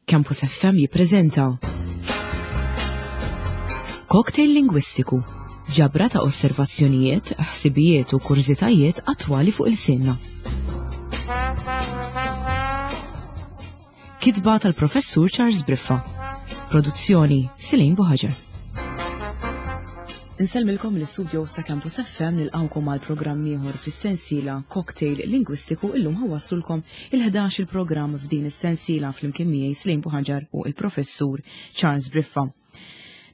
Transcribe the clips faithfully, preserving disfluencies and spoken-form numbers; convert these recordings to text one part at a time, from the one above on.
Campus F M jippreżenta Cocktail Lingwistiku, ġabra ta' osservazzjonijiet, ħsibijiet u kurżitajiet attwali fuq ilsienna. Kitba tal-Professur Charles Briffa. Produzzjoni Silin Buħaġar. Insellmilkom l-istudio ta' Campus F M, nilqawkom għal programm ieħor fis-sensiela Cocktail Lingwistiku. Illum ħa nwasslulkom il-ħdax il-programm f'din is-sensiela flimkien miegħi Slim Buħaġar u il-Professur Charles Briffa.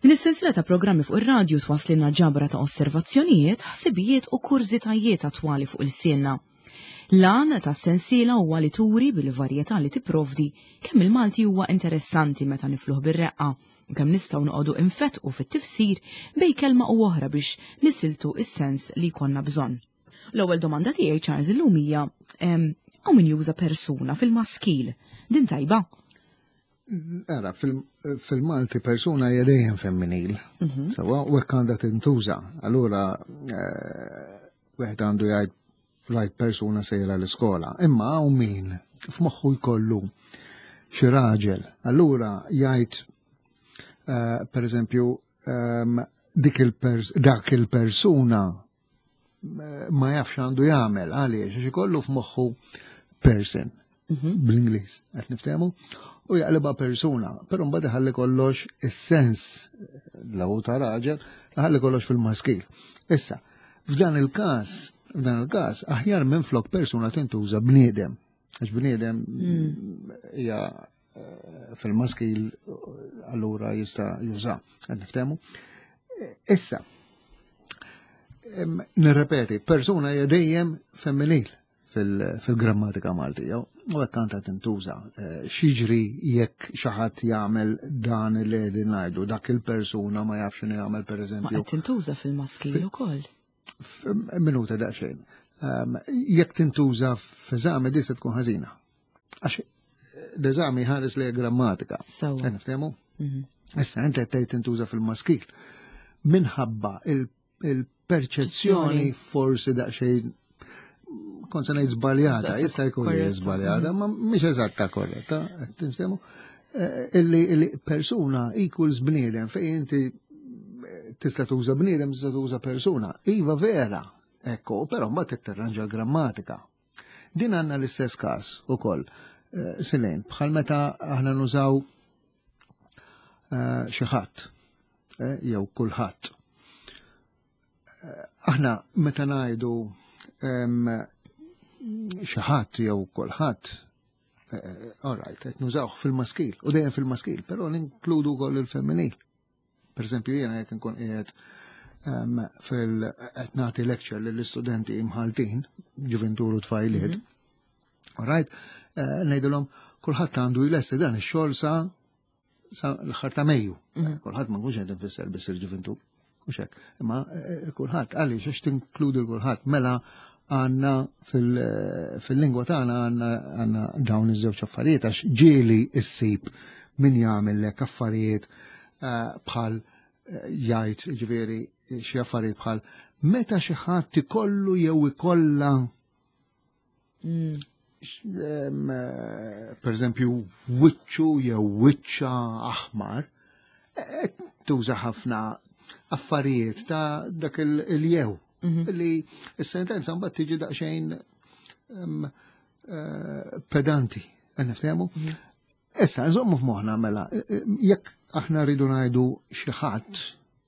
Din is-sensiela ta' programmi fuq ir-radju twasslilna ġabra ta' osservazzjonijiet, ħsibijiet u kurżitajiet attwali fuq ilsienna. L-għan ta' sensiela huwa li turi bil-varjetà li tipprovdi kemm il-Malti huwa interessanti meta nifluh bir-reqqa u kemm nistgħu noqogħdu infetqu fit-tifsir bejn kelma u oħra biex nisiltu is-sens li jkollna bżonn. L-ewwel domanda tiegħi, Charles, illum hija hawn min juża persuna fil-maskil. Din tajba? Ara, fil-Malti persuna hija dejjem femminil. Mhm. Sewwa, u hekk għandha tintuża. Allura eh, wieħed għandu jgħid "rajt persuna sejra l-iskola". Imma hawn min f'moħħu jkollu xi raġel. Allura jgħid eh, per eżempju ehm, dik il-pers dak il-persuna eh, ma jafx għandu jagħmel. Għaliex? Għax ikollu f'moħħu person Mhm. bl-Ingliż, qed niftehmu, u jaqlibha persuna, però mbagħad iħalli kollox is-sens l ta' raġel, iħalli kollox fil-maskil. Issa, f'dan il-każ, f'dan il-każ, aħjar minn flok persuna tintuża bniedem. Għax bniedem hija eh, fil-maskil, allura jista' juża, qed niftehmu. Issa, em, nirrepeti, persuna hija dejjem femminil fil-grammatika Maltija u hekk għandha tintuża. Eh, X'jiġri jekk xi ħadd jagħmel dan li qegħdin ngħidu, dak il-persuna ma jafx x'inhu jagħmel, Ma pereżempju? qed tintuża fil-maskil ukoll. Minuta daqsxejn. Um, Jekk tintuża f'eżami, di se tkun ħażina. Għax l-eżami ħares li grammatika. Sewwa. Qed niftehmu? Mhm. Issa inti qed tgħid tintuża fil-maskil. Minħabba il- il-perċezzjoni forsi daqsxejn, kont se ngħid żbaljata, Daqshekk jista' jkun li korretta. żbaljata, ma mhix eżatta korretta, qed tinftehmu? Eh, Illi illi persuna equals bniedem, fejn inti eh, tista' tuża bniedem, tista' tuża persuna. Iva, vera, ekko, però mbagħad tirranġa l-grammatika. Din għandna l-istess każ ukoll. Eh, Silejn, bħal meta aħna nużaw eh, xi ħadd eh, jew kulħadd. Eh, Aħna meta ngħidu em, xi ħadd jew kulħadd, eh, all right, qed nużawh fil-maskil, u dejjem fil-maskil, però ninkludu wkoll il-femminil. Per eżempju, jiena jekk nkun qiegħed em, fil qed nagħti lecture lill-istudenti imħaltin, ġuvintur u tfajliet, all right, eh, ngħidilhom kulħadd għandu jlesti dan ix-xogħol sa sa l-aħħar ta' Mejju. Kulħadd ma nkunx qed nfisser biss il-ġuvintur. Mhux hekk. Imma eh, kulħadd, għaliex? Għax tinkludi l-kulħadd. Mela għandna fil- fil-lingwa tagħna għandna għandna dawn iż-żewġ affarijiet, għax ġieli issib min jagħmel affarijiet eh, bħal eh, jgħid, ġifieri, xi affarijiet bħal meta xi ħadd ikollu jew ikollha Mm. em, eh, per eżempju, wiċċu jew wiċċa aħmar, eh, tuża ħafna affarijiet ta' dak il- il-jew. Li s-sentenza mbagħad tiġi daqsxejn em, eh, pedanti. Niftehmu? Issa, nżommu f'moħħna mela, eh, eh, jekk aħna rridu ngħidu xi ħadd,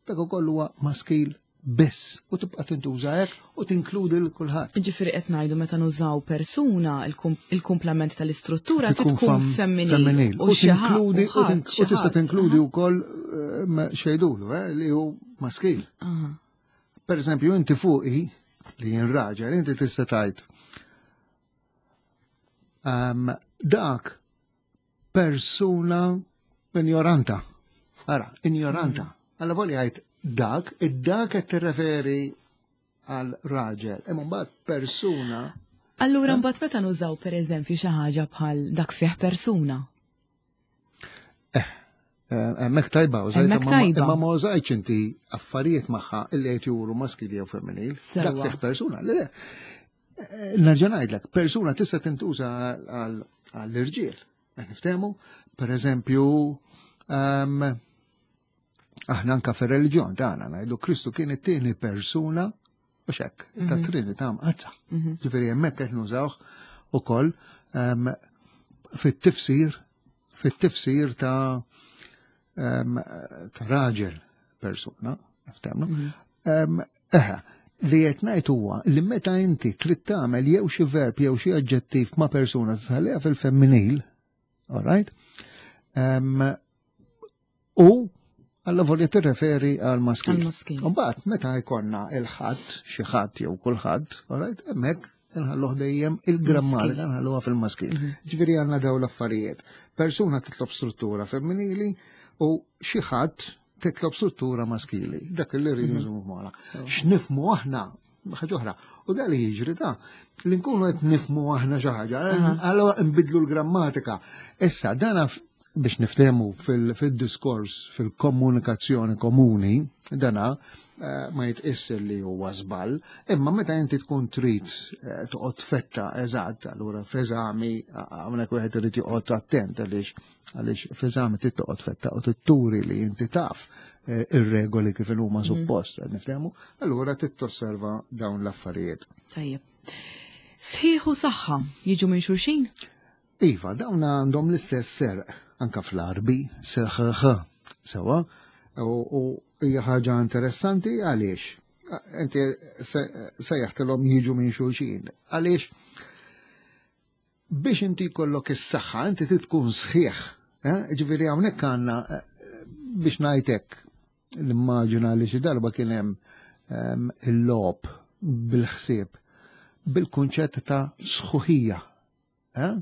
dak ukoll huwa maskil biss u tibqa' tintuża hekk u tinkludi l kulħadd. Ġifieri qed ngħidu meta nużaw persuna, il-kum- il-kumplament tal-istruttura Tkun tkun fam- femminil. femminil. U xi ħadd- tinkludi u u ħadd, tink- xi u tista' ħadd, tinkludi aha. wkoll eh, ma- xejdulu eh, li hu maskil. Aha. Per eżempju, inti fuqi li jien raġel, inti tista' tgħid um, dak persuna ignoranta. Ara, ignoranta. Alla volja għajt dak, id-dak qed tirreferi għal raġel. Imma mbagħad persuna. Allura mbagħad meta nużaw, pereżempju, xi ħaġa bħal "dak fih persuna". Eh, hemmhekk tajba, użajt, Hemmhekk imma ma- tajba. imma ma użajtx inti affarijiet magħha illi qed juru maskili jew femminil. Sewwa. Dak fih persuna. Le, le. Eh, Nerġa' ngħidlek, persuna tista' tintuża għal- għall-irġiel. Niftehmu, per eżempju, um, aħna anka fir-reliġjon tagħna ngħidu Kristu kien it-tieni persuna u hekk, ta' mhm. Trinità Mqaddsa. Mhm. Ġifieri hemmhekk qed nużawh ukoll um, fit-tifsir fit-tifsir ta' um, ta' raġel persuna, niftehmu. Mhm. Eħe, li qed ngħid huwa li meta inti trid tagħmel jew xi verb jew xi aġġettiv ma' persuna tħalliha fil-femminil, all right? Um, u alla volja tirreferi għal maskil. Mbagħad meta jkollna il-ħadd, xi ħadd jew kulħadd, all right, hemmhekk nħalluh dejjem il-grammatika nħalluha fil-maskil. Mhm. Ġifieri għandna daw l-affarijiet. Persuna titlob struttura femminili u xi ħadd titlob struttura maskili. Dak li rridu mhm. nżommu f'moħħna. X'nifmu aħna ħaġa oħra. U da li jiġri ta' li nkunu qed nifmu aħna xi ħaġa, allura nbidlu l-grammatika. Issa dana biex niftehmu fil-diskors, fil-komunikazzjoni komuni, dana eh, ma jitqis li huwa żball, imma meta inti tkun trid eh, toqgħod fetta eżatt, allura f'eżami hawnhekk wieħed irid joqgħod attent għaliex għaliex f'eżami trid toqgħod fetta u titturi li inti taf eh, ir-regoli kif huma mhm. suppost, niftehmu, allura trid tosserva dawn l-affarijiet. Tajjeb. Sħiħ u saħħa jiġu minn xulxin? Iva, dawn għandhom l-istess serq anka fl-Arbi, seħħ, sewa, u hija ħaġa interessanti għaliex. Inti sejjaħtilhom jiġu minn xulxin. Għaliex biex inti jkollok is-saħħa, inti tkun sħiħ. Eh? Ġifieri hawnhekk għandna eh, biex ngħidlek l-immaġina li xi darba kien hemm ehm, il-logħob bil-ħsieb bil-kunċett ta' sħuħija. Eh?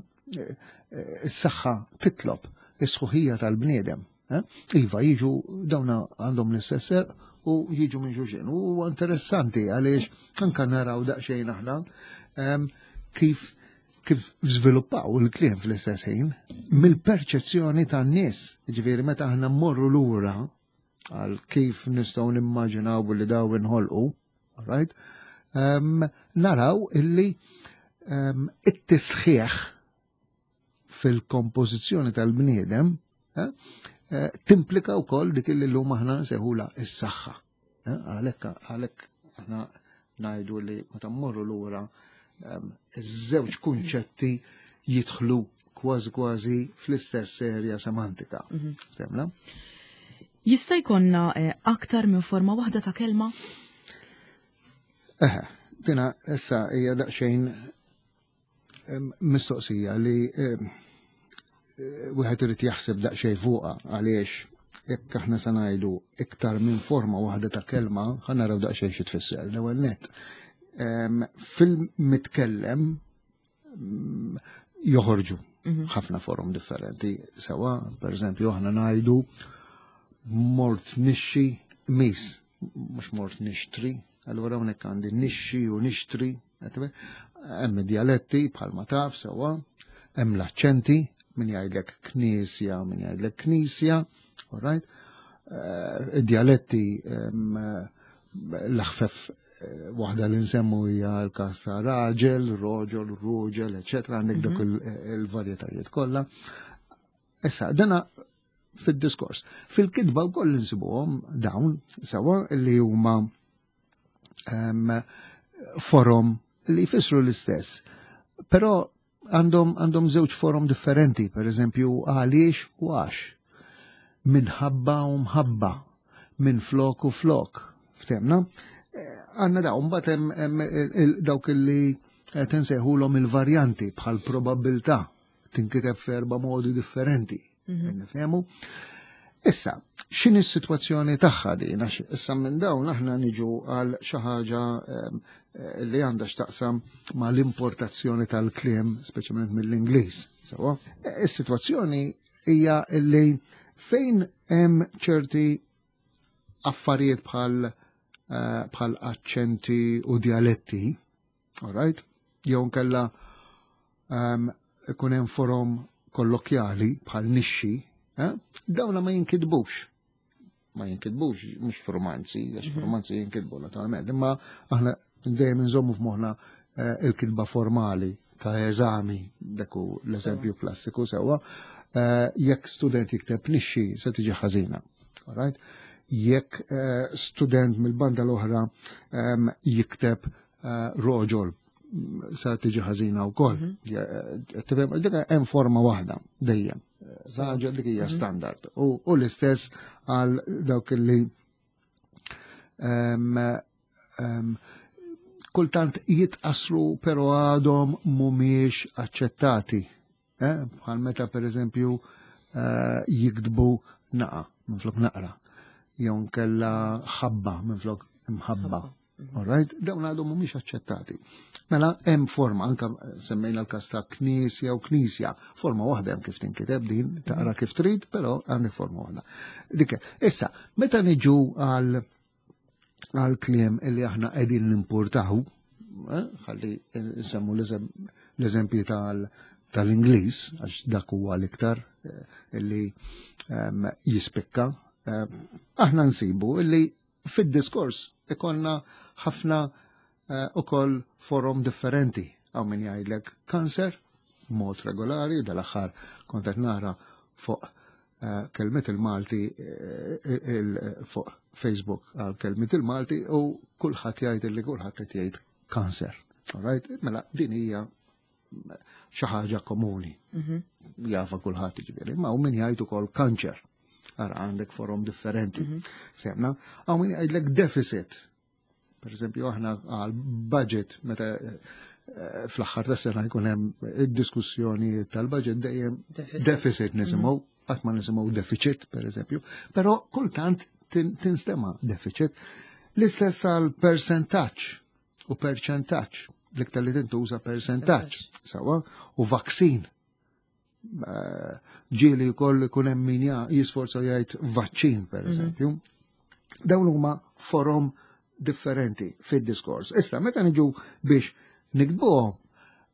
Is-saħħa titlob is-sħuħija tal-bniedem. Eh? Iva, jiġu dawna għandhom l-istess u jiġu minn xulxin. U interessanti għaliex anka naraw daqsxejn aħna ehm, kif kif żviluppaw il-kliem fl-istess ħin mill-perċezzjoni tan-nies. Ġifieri meta aħna mmorru lura għal kif nistgħu nimmaġinaw li daw inħolqu, right? Um, naraw illi um, it-tisħiħ fil-kompożizzjoni tal-bniedem eh, eh, timplika wkoll dik illi llum aħna nsejħula is-saħħa. Eh, għalhekk għalhekk aħna ngħidu li meta mmorru lura ehm, iż-żewġ kunċetti jidħlu kważi kważi fl-istess serja semantika. Mhm. Temna? Jista' jkollna aktar minn forma waħda ta' kelma? Eħe, dina issa hija daqsxejn mistoqsija li wieħed irid jaħseb daqsxejn fuqha għaliex jekk aħna se ngħidu iktar minn forma waħda ta' kelma, ħa naraw daqsxejn xi tfisser. L-ewwel nett. Fil-mitkellem mm, joħorġu mhm. ħafna forom differenti. Sewa, per eżempju, aħna ngħidu mort nixxi mis, mhux mort nixtri, allura hawnhekk għandi nixxi u nixtri, hemm dialetti bħalma taf sewa, hemm l-aċċenti, min jgħidlek knisja, min jgħidlek knisja, all right? Uh, dialetti um, l-aħfef eh, waħda li nsemmu hija l-każ ta' raġel, roġol, ruġel, eċetera, għandek dak mhm. il-varjetajiet kollha. Issa, dana fid-diskors. Fil-kitba wkoll insibuhom dawn sewa li huma um, forom li jfissru l-istess. Però għandhom għandhom żewġ forom differenti, per eżempju għaliex u għax. Minħabba u mħabba, minn flok u flok. Ftemna? Eh, għandna dawn, mbagħad hemm dawk li qed insejħulhom il-varjanti bħal probabilità tinkiteb f'erba' modi differenti. Mhm. Nifhemu? Issa, x'inhi s-sitwazzjoni tagħha din? Għax issa minn dawn aħna niġu għal xi ħaġa ehm, eh, li għandha x'taqsam ma' l-importazzjoni tal-kliem, speċjalment mill-Ingliż. Sewa, eh, is-sitwazzjoni hija li fejn hemm ċerti affarijiet bħal eh, bħal aċċenti u dialetti, all right? Jew nkella um, ikun hemm forom kollokjali bħal nixxi, eh? Dawna ma jinkitbux. Ma jinkitbux, mhux f'romanzi, għax mhm. f'romanzi jinkitbu naturalment, imma aħna dejjem nżommu f'moħħna eh, il-kitba formali ta' eżami, dak hu l-eżempju klassiku sewwa, eh, jekk student jikteb nixxi se tiġi ħażina. Alright? Jekk eh, student mill-banda l-oħra em, jikteb eh, roġol sa tiġi ħażina wkoll. Mhm. Tifhem, dik hemm forma waħda dejjem. Raġel dik hija standard. U u l-istess għal dawk li em, em, kultant jitqasru pero għadhom mhumiex aċċettati. Eh? Bħal meta per eżempju eh, jiktbu naqa minflok naqra, jew nkella ħabba minflok imħabba. All right? Dawn għadhom mhumiex aċċettati. Mela hemm forma, anka semmejna l-każ ta' knisja u knisja, forma waħda hemm kif tinkiteb din, taqra kif trid, però għandek forma waħda. Dik, issa, meta niġu għal għal kliem illi aħna qegħdin nimportaw, eh, ħalli nsemmu l-eżempji tal tal-Ingliż, għax dak huwa l-iktar eh, illi em, jispikka, eh, aħna nsibu illi fid-diskors ikollna ħafna eh, ukoll forom differenti. Hawn min jgħidlek kanser, mod regolari, dal-aħħar kont qed nara fuq eh, kelmiet il-Malti eh, il- fuq Facebook għal kelmiet il-Malti u kulħadd jgħid li kulħadd qed jgħid kanser. Alright? Mela din hija xi ħaġa komuni. Jafa kulħadd ġifieri, ma hawn min jgħid ukoll kanċer. Ara għandek forom differenti. Fhimna? Hawn min jgħidlek deficit. Per eżempju, aħna għal budget meta eh, fl-aħħar ta' sena jkun hemm id-diskussjoni tal-budget dejjem Deficit. deficit nisimgħu, qatt ma nisimgħu deficit, per eżempju, però kultant tin- tinstema deficit. L-istess għal percentaġġ u perċentaġġ, l-iktar li tintuża percentaġġ, sewwa, u vaccine. Eh, Ġieli wkoll ikun hemm min ja- jisforza jgħid vaċċin, per eżempju. Dawn huma forom differenti fid-diskors. Issa, meta niġu biex niktbuhom,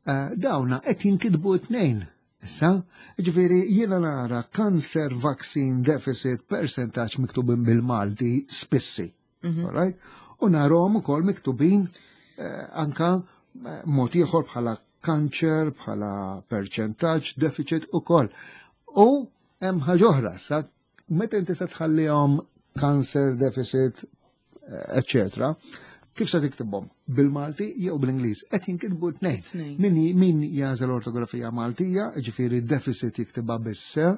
eh, dawna qed jinkitbu t-tnejn. Issa, ġifieri jiena nara cancer vaccine deficit percentage miktubin bil-Malti spissi. Alright? U narahom ukoll miktubin eh, anka eh, mod ieħor bħala kanċer, bħala percentaġġ, deficit ukoll. U hemm ħaġa oħra, sa meta inti se tħallihom cancer, deficit, eccetera, kif se tiktibhom? Bil-Malti jew bl-Ingliż? Qed jinkitbu tnejn. Tnejn. Min, min jagħżel ortografija Maltija, ġifieri deficit jiktibha bis-S,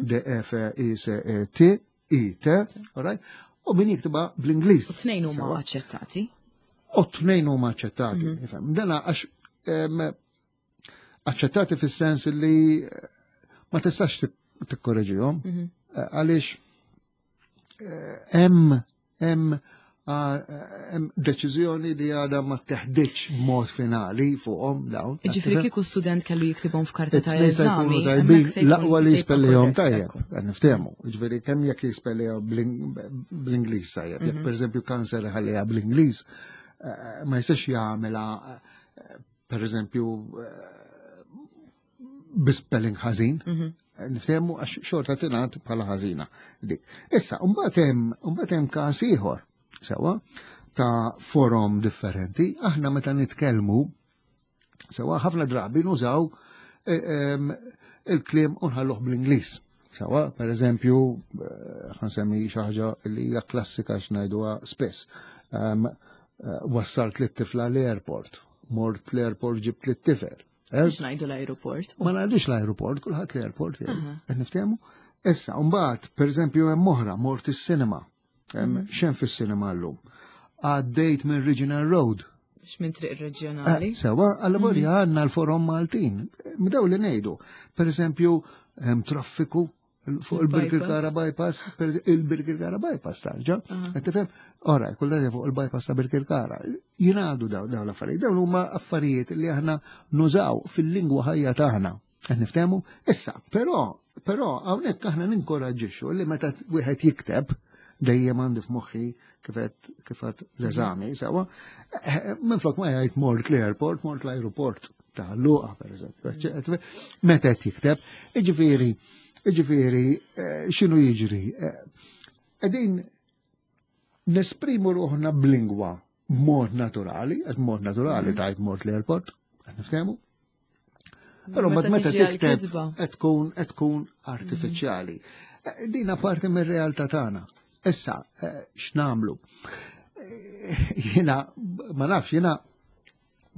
D F I C E T, I T, alright? U min jiktibha bl-Ingliż. U tnejn huma Sewwa. aċċettati. U tnejn huma aċċettati. Ifhem. Dana għax em, aċċettati fis-sens li eh, ma tistax tik- tikkorreġihom eh, għaliex eh, hemm hemm ah, hemm deċiżjoni li għadha ma teħdiċ b'mod finali fuqhom dawn. Ġifieri kieku student kellu jiktibhom f'karta ta' It-tnejn se jkunu eżami, tajbin, hemmhekk se jkun- l-aqwa li se jkun jispellihom korrett, tajjeb, ekku. qed niftehmu. Ġifieri kemm jekk jispellihom bl-Ingliż tajjeb, jekk pereżempju kanser ħalliha bl-Ingliż, eh, ma jistax jagħmilha eh, pereżempju eh, bi-spelling ħażin. Niftehmu għax xorta tingħad bħala ħażina. Dik. Issa, mbagħad hemm mbagħad hemm każ ieħor sewwa ta' forom differenti. Aħna meta nitkellmu sewwa ħafna drabi nużaw eh, em, il-kliem u nħalluh bl-Ingliż. Sewwa, per eżempju, eh, ħa nsemmi xi ħaġa li hija klassika x'ngħiduha spess. Em, eh, Wassalt lit-tifla l-airport, mort l-airport ġibt lit-tifel. Eh, Biex ngħidu l-aeroport. Ma ngħidux l-aeroport, kulħadd l-airport jgħid. Qed niftehmu? Issa, mbagħad, per eżempju, hemm oħra, mort is-cinema. Hemm X'hemm fis-cinema llum? Għaddejt minn Regional Road. Biex minn triq reġjonali. Eh, Sewwa, għalla għandna l-forom Maltin. Mdaw li ngħidu. Per eżempju, hemm traffiku fuq il-Birkirkara bypass, per il-Birkirkara bypass tarġa. Qed tifhem? Ora, kull fuq il-bypass ta' Birkirkara. Jingħadu daw daw l-affarijiet. Dawn huma affarijiet li aħna nużaw fil-lingwa ħajja tagħna. Qed niftehmu? Issa, però, però hawnhekk aħna ninkoraġġixxu li meta wieħed jikteb dejjem għandi f'moħħi kif qed kif qed l-eżami, sewwa, eh, minflok ma jgħid mort l-airport, mort l-aeroport ta' Luqa, per eżempju. Meta qed jikteb, jiġifieri, jiġifieri, eh, x'inhu jiġri? Eh, Qegħdin nesprimu ruħna b'lingwa b'mod naturali, qed mod naturali tajt mort l-airport, qed niftehmu? Però mbagħad meta tikteb qed tkun qed tkun artifiċjali. Eh, dina parti mir-realtà tagħna. Issa, eh, x'nagħmlu? Eh, jiena ma nafx, jiena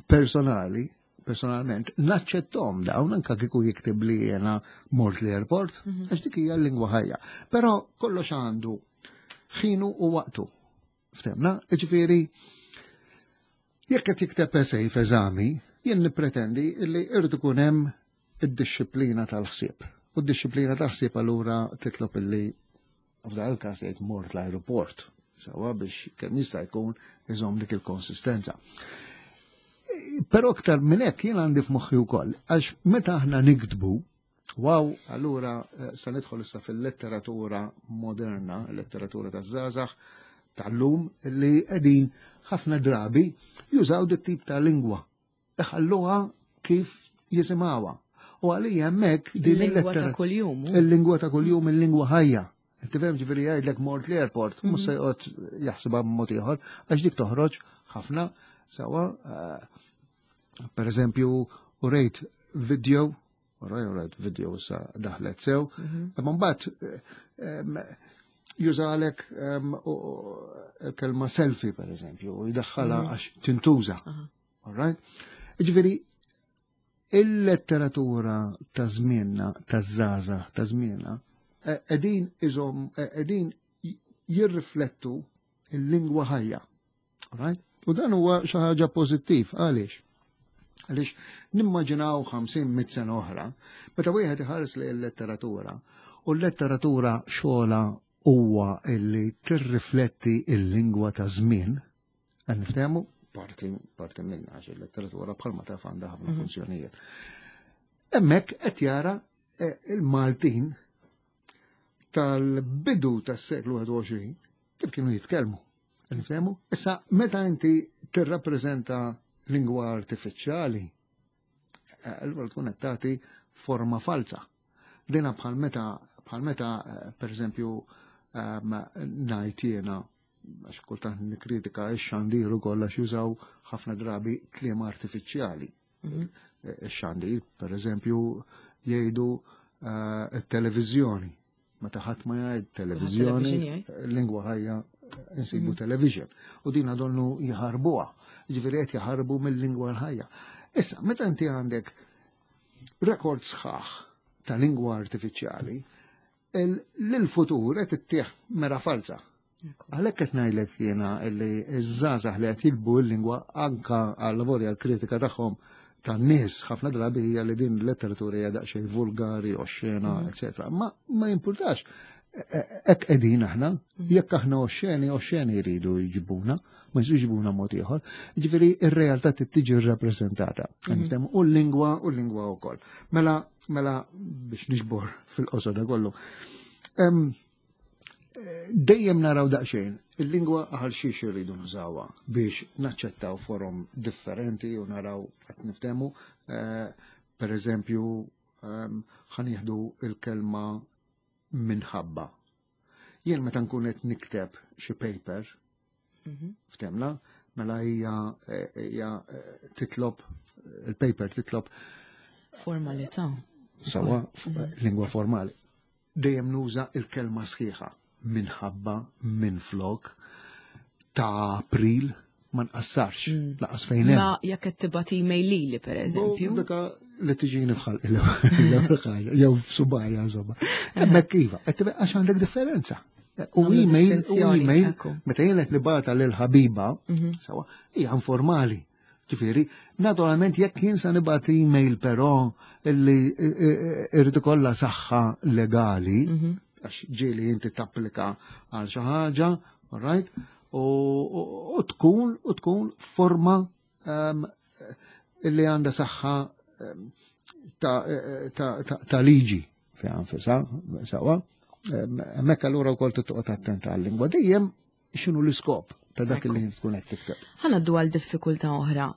personali, personalment, naċċettom dawn anka kieku jiktib li jiena mort l-airport, mhm. għax dik hija l-lingwa ħajja. Però kollox għandu ħinu u waqtu. Ftemna? Ġifieri, jekk qed jikteb essay f'eżami, jien nippretendi li irid ikun hemm id-dixxiplina tal-ħsieb. U d-dixxiplina tal-ħsieb allura titlob illi f'dan il-każ jgħid mort l-aeroport, sawa biex kemm jista' jkun iżomm dik il-konsistenza. Però aktar minn hekk jien għandi f'moħħi wkoll, għax meta aħna niktbu, wow, allura eh, se nidħol issa fil-letteratura moderna, letteratura taż-żgħażagħ tal-lum li qegħdin ħafna drabi jużaw dit tip ta' lingwa. Iħalluha kif jisimgħuha. U għalija hemmhekk din il-lingwa ta' kuljum. Il-lingwa ta' kuljum, il-lingwa ħajja. Tifhem ġifieri jgħidlek mort l-airport, mhux se joqgħod jaħsibha b'mod ieħor, għax dik toħroġ ħafna sawa eh, per eżempju, u rejt video, u rejt video sa daħlet sew, mhm. imma mbagħad eh, jużalek il-kelma selfie, per eżempju, u jdaħħala mhm. għax tintuża. All right? Ġifieri, il-letteratura ta' żmienna, ta' żgħażagħ, ta' żmienna, qegħdin iżom, qegħdin jirriflettu il-lingwa ħajja. All right? U dan huwa xi ħaġa pożittiv, għaliex? Għaliex nimmaġinaw ħamsin mitt sena oħra, meta wieħed iħares li l-letteratura, u l-letteratura xogħla huwa illi tirrifletti il-lingwa ta' żmien, għan niftehmu parti parti minna għax il-letteratura bħalma taf għandha ħafna mhm. funzjonijiet. Hemmhekk qed jara eh, il-Maltin tal-bidu tas-seklu wieħed u għoxrin kif kienu jitkellmu. Nifhemu? Issa, meta inti tirrappreżenta lingwa artifiċjali, eh, allura tkun qed tagħti forma falsa. Dina bħal meta bħal meta eh, per eżempju ehm, ngħid jiena għax kultant nikkritika x-xandir ukoll għax jużaw ħafna drabi kliem artifiċjali. Mhm. Ix-xandir, per eżempju, jgħidu eh, televiżjoni. Meta ħadd ma jgħid televiżjoni, lingwa ħajja insibu mhm. television. U din donnu jaħarbuha. Ġifieri qed jaħarbu mill-lingwa l-ħajja. Issa, meta inti għandek rekord sħaħ ta' lingwa artifiċjali, l-futur qed ittieħ mera falsa. Għalhekk qed ngħidlek jiena li ż-żgħażagħ li qed jiktbu l-lingwa anka għal lavori għall-kritika tagħhom tan-nies ħafna drabi hija li din l-letteratura hija daqsxejn vulgari, oxxena, mm. eċetera. Ma ma jimpurtax. Hekk qegħdin aħna, mm. jekk aħna oxxeni, oxxeni jridu jġibuna, ma jġibuna mod ieħor. Ġifieri ir-realtà tiġi rrappreżentata. Mm. U l-lingwa u l-lingwa wkoll. Mela mela biex niġbor fil-qosor da kollu. Dejjem naraw daqsxejn, il-lingwa għal xiex irridu nużawha biex naċċettaw forom differenti u naraw qed niftehmu. Eh, per eżempju, ħa nieħdu il-kelma minħabba. Jien meta nkun qed nikteb xi paper, mhm. ftemna, mela hija hija eh, titlob il-paper titlob formalità. Sawa, mhm. lingwa formali. Dejjem nuża il-kelma sħiħa minħabba, minflok, ta' April, ma nqassarx, mm. laqas fejn hemm. Ma jekk qed tibgħat email lili pereżempju. Daka li tiġini fħal l-ewwel ħaġa, jew f'subajja insomma. Hemmhekk iva, qed tibqa' għax għandek differenza. U email, u email, meta jien qed nibgħatha lil ħabiba, mhm. sawa, hija informali. Ġifieri, naturalment jekk jien sa nibgħat email però illi irrid ikollha saħħa legali, mhm. għax ġieli inti tapplika għal xi ħaġa, all right, u tkun u tkun forma um, illi għandha saħħa um, ta', ta, ta, ta liġi fi anfisa, sawa. Hemmhekk allura wkoll toqgħod attenta għal-lingwa dejjem x'inhu l-iskop ta' dak li tkun qed tikteb. Ħa ngħaddu għal diffikultà oħra.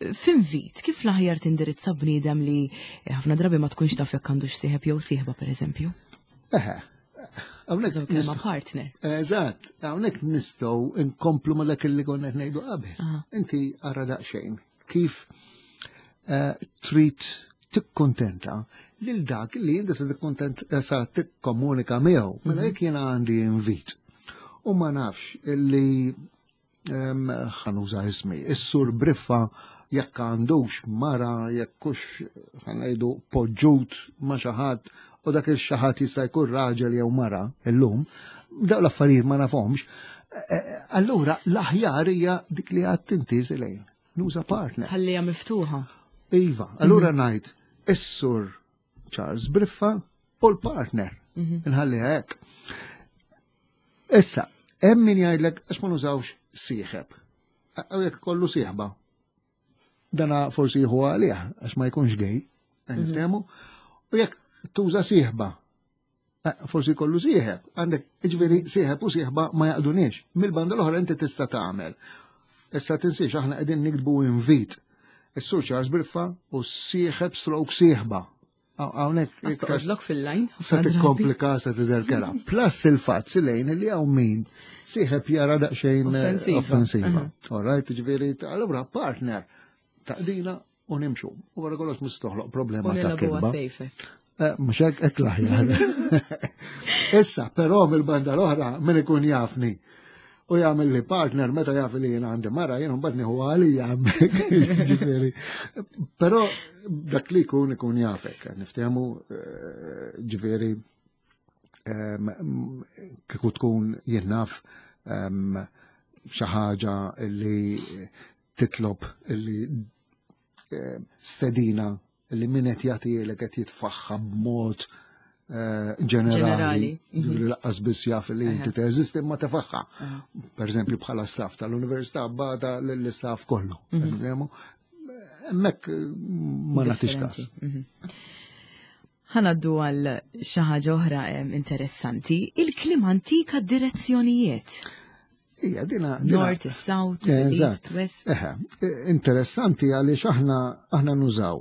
F'invit, kif l-aħjar tindirizza bniedem li ħafna drabi ma tkunx taf jekk għandux sieħeb jew sieħba pereżempju? Eħe, hawnhekk kelma partner. Eżatt, hawnhekk nistgħu nkomplu ma dak li konna qed ngħidu qabel. Inti ara daqsxejn kif eh, trid tikkontenta lil dak li inti se tikkontent sa tikkomunika miegħu. Mela jekk jiena għandi invit u ma nafx illi ħa nuża ismi, is-Sur Briffa jekk għandux mara, jekk hux, ħa ngħidu, poġġut ma' xi ħadd u dak il-xi ħadd jista' jkun raġel jew mara illum, dawn l-affarijiet ma nafhomx. Allura l-aħjar hija dik li għedt inti lejn. Nuża partner. Ħallija miftuħa. Iva, allura ngħid is-Sur Charles Briffa u l-partner. Nħalliha hekk. Issa, hemm min jgħidlek għax ma nużawx sieħeb. Għaw jekk kollu sieħba. Dana forsi jieħu għalih għax ma jkunx gay, niftehmu. U jekk tuża sieħba, forsi kollu sieħeb. Għandek, ġifieri sieħeb u sieħba ma jaqduniex. Mill-banda l-oħra inti tista' tagħmel. Issa tinsiex aħna qegħdin nikdbu invit. Is-Sur Charles Briffa u sieħeb stroke sieħba. Hawnhekk Toqgħodlok fil-lajn. Sa tikkomplika, sa tidher kerha. Plus il-fatt lejn li hawn min sieħeb jara daqsxejn offensiva. All right, ġifieri, allura partner taqdina u nimxu. U wara kollox mhux toħloq problema ta' kitba. Mhux hekk, hekk l-aħjar. Issa, però mill-banda l-oħra min ikun jafni u jagħmel li partner meta jaf li jiena għandi mara, jien mbagħad nieħu għalija hemmhekk, ġifieri. Però dak li jkun ikun jafek, niftehmu, ġifieri kieku tkun, jien naf, xi ħaġa li titlob li stedina li min qed jagħtielek qed jitfaħħa b'mod ġenerali, li lanqas biss jaf li inti teżisti ma tefaħħa. Per eżempju bħala staff tal-università bada l-istaff kollu. Hemmhekk ma nagħtix każ. Ħa ngħaddu għal xi ħaġa oħra interessanti, il-kliem antik għad-direzzjonijiet. Ija, dina. North, South, East, West. Eħe, interessanti għaliex aħna aħna nużaw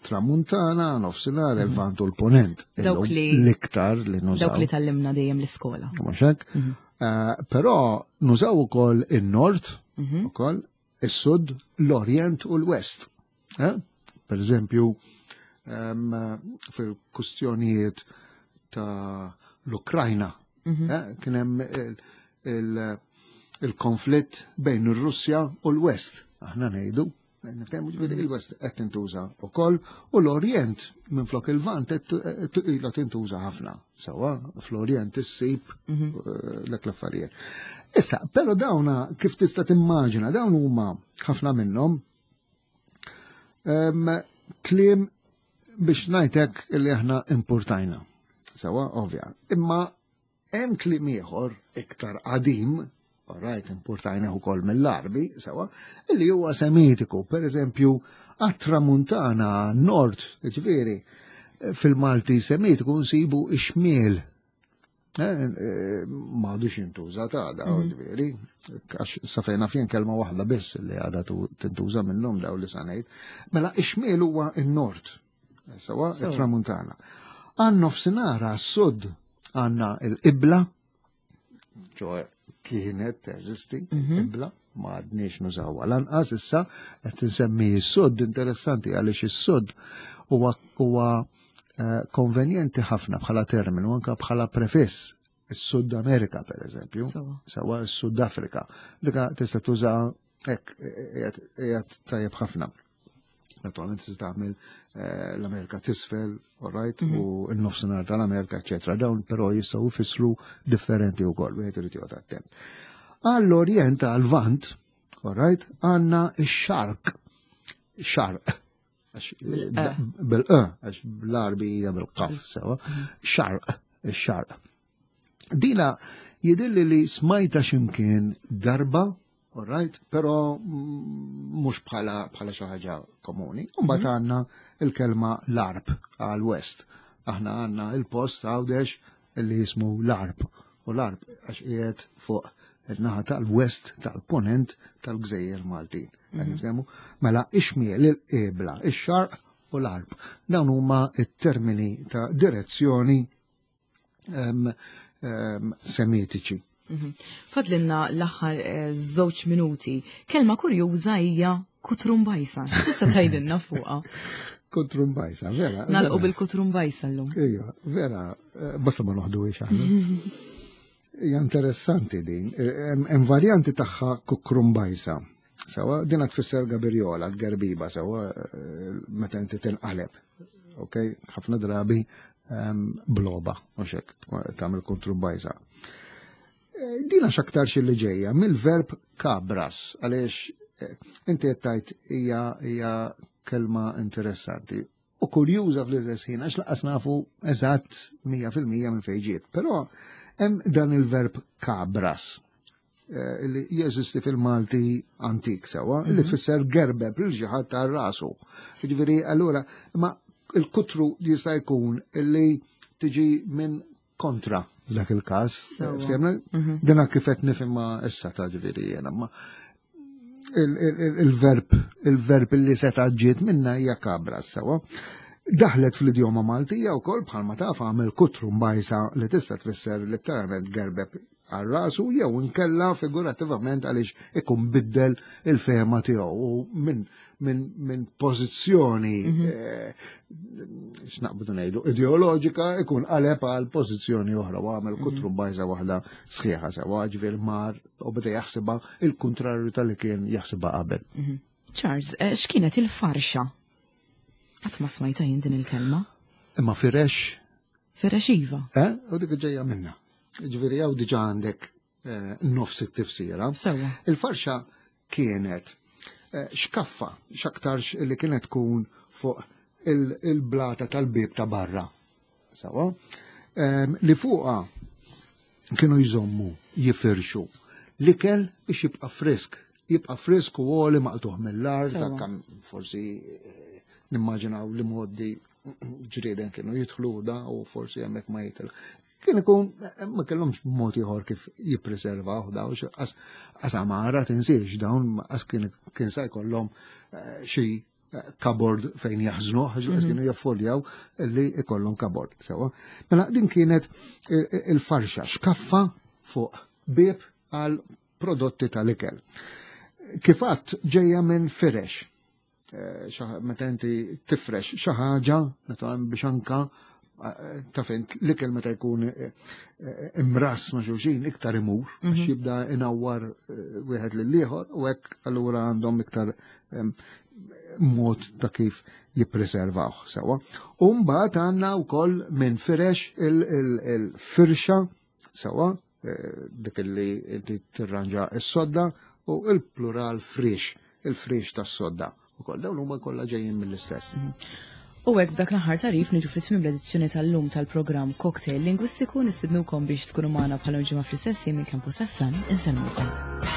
tramuntana, nofsinhar, il-Lvant u l-Ponent. Dawk li l-iktar li nużaw. Dawk li tgħallimna dejjem l-iskola. Mhux hekk? Però nużaw ukoll in-Nord, ukoll is-Sud, l-Orient u l-West. Per eżempju, fil-kustjonijiet ta' l-Ukrajna, kien hemm il-konflitt bejn ir-Russja u l-West. Aħna ngħidu, niftehmu, ġifieri il-West qed tintuża wkoll u l-Orient minflok il-Lvant qed ilha tintuża ħafna. Sewwa fl-Orient issib dak l-affarijiet. Issa, però dawna kif tista' timmaġina, dawn huma ħafna minnhom kliem biex ngħidlek li aħna importajna. Sewwa, ovvja. Imma hemm kliem ieħor iktar qadim, right, importajna ukoll mill-Arbi, sewwa, illi huwa semitiku, per eżempju, għat-tramuntana, nord, ġifieri, fil-Malti semitiku nsibu ix-xmiel. Ma għadux jintuża ta' da, ġifieri, għax sa fejn naf jien kelma waħda biss li għadha tintuża minnhom daw li sanejt. Mela ix-xmiel huwa n-nord, sewwa, it-tramuntana. Għan-nofsinhar, għas-sud, għandna il-qibla, ċoè kienet teżisti, qibla, ma għadniex nużawha lanqas issa. Qed insemmi s-sud, interessanti għaliex is-sud huwa huwa konvenjenti ħafna bħala terminu, anka bħala prefiss. Is-Sud Amerika, per eżempju, sewwa, s-Sud Afrika. Dika tista' tuża hekk, qiegħed tajjeb ħafna. Naturalment tista' tagħmel l-Amerika t'isfel, all right, u n-nofsinhar tal-Amerika, eċetera. Dawn però jistgħu jfissru differenti wkoll, wieħed irid joqgħod attent. Għall-Orient, għal-Lvant, all right, għandna x-Xarq. Xarq. Bil-e, għax bl-Arbi hija bil-qaf, sewwa. Xarq, ix-Xarq. Dina jidilli li smajta ximkien darba, all right, però mhux bħala bħala xi ħaġa komuni. Mbagħad għandna il-kelma l-Għarb għal-West. Aħna għandna il-post Għawdex li jismu l-Għarb. U l-Għarb għax qiegħed fuq il-naħa tal-West tal-Ponent tal-Gżejjer Maltin. Nifhemu? Mela ix-xmiel, il-qibla, ix-xarq u l-Għarb. Dawn huma it-termini ta' direzzjoni semitiċi. Fadlilna l-aħħar żewġ minuti. Kelma kurjuża hija kutrumbajsa. Tista' tgħidilna fuqha? Kutrumbajsa, vera. Nagħlqu bil-kutrumbajsa llum. Ija, vera, eh, basta ma noħdu aħna. Hija interessanti din. Hemm varjanti tagħha kukrumbajsa. Sawa, din tfisser gabirjola, gerbiba, sawa, eh, meta inti tinqaleb. Ok, ħafna drabi bloba, u xek, tagħmel kutrumbajsa. Eh, dina x'aktarx li ġejja mill-verb kabras, għaliex inti qed tgħid hija hija kelma interessanti u kurjuża fl-istess ħin għax lanqas nafu eżatt mija fil-mija minn fejn ġiet. Però hemm dan il-verb kabras eh, li jeżisti fil-Malti antik sewa, li mhm. tfisser gerbeb lil xi ħadd ta' rasu. Jiġifieri allura ma il-kutru jista' jkun li tiġi minn kontra f'dak il-każ. Mhm. Dina kif qed nifhimha issa ta' ġifieri jiena, ma il-verb il-verb li seta' ġiet minna hija kabra sewa. Daħlet fl-idjoma Maltija wkoll bħalma taf għamel kutru mbajsa li tista' tfisser letteralment gerbeb għal rasu jew inkella figurativament għaliex ikun biddel il-fehma tiegħu u minn min, min pożizzjoni mhm. eh, x'naqbdu ngħidu ideoloġika ikun qaleb għal pożizzjoni oħra u għamel kutru mhm. bajsa waħda sħiħa sewa ġifier mar u beda jaħsibha il-kontrarju tal-li kien jaħsibha qabel. Mhm. Charles, eh, x'kienet il-farxa? Qatt ma smajta jien din il-kelma. Imma firex? Firex iva. Eh, u dik ġejja minna. Ġifieri hawn diġà għandek eh, nofs it-tifsira. Sewa. Il-farxa kienet eh, xkaffa, x'aktarx li kienet tkun fuq il-blata tal-bib ta' barra. Sewa. Ehm, li fuqa kienu jżommu, jifirxu. L-ikel biex jibqa' frisk. Jibqa' frisk u għoli maqtuħ mill-art, kam forsi eh, nimmaġinaw li moddi ġrieden kienu jidħlu da u forsi hemmhekk ma jitil. Kien ikun, ma kellhomx mod ieħor kif jippreservaw daw, qas għamara tinsiex dawn, qas kien sa jkollhom eh, xi eh, cupboard fejn jaħżnu, għax mhm. kienu jaffoljaw li ikollhom cupboard. Sewa. Mela din kienet eh, il-farxa xkaffa fuq bieb għal prodotti tal-ikel. Kifat ġejja minn firex. Meta inti tifrex xi ħaġa, naturalment biex anka taf int l-ikel meta jkun eh, eh, imras ma' xulxin iktar imur, għax mhm. jibda inawwar eh, wieħed lil ieħor u hekk allura għandhom iktar mod ta' kif jippreservaw sewa. U mbagħad għandna wkoll minn firex il-firxa sewa, dik li inti tirranġa s-sodda u il-plural frix, il-frix tas-sodda. Ukoll dawn huma kollha ġejjin mill-istess. Mhm. U hekk b'dak l-aħħar tarif niġu fi tmiem l-edizzjoni tal-lum tal-programm Cocktail Lingwistiku. Nistidnukom biex tkunu magħna bħala ġimgħa fl-istess minn Campus F M. Insellmukom.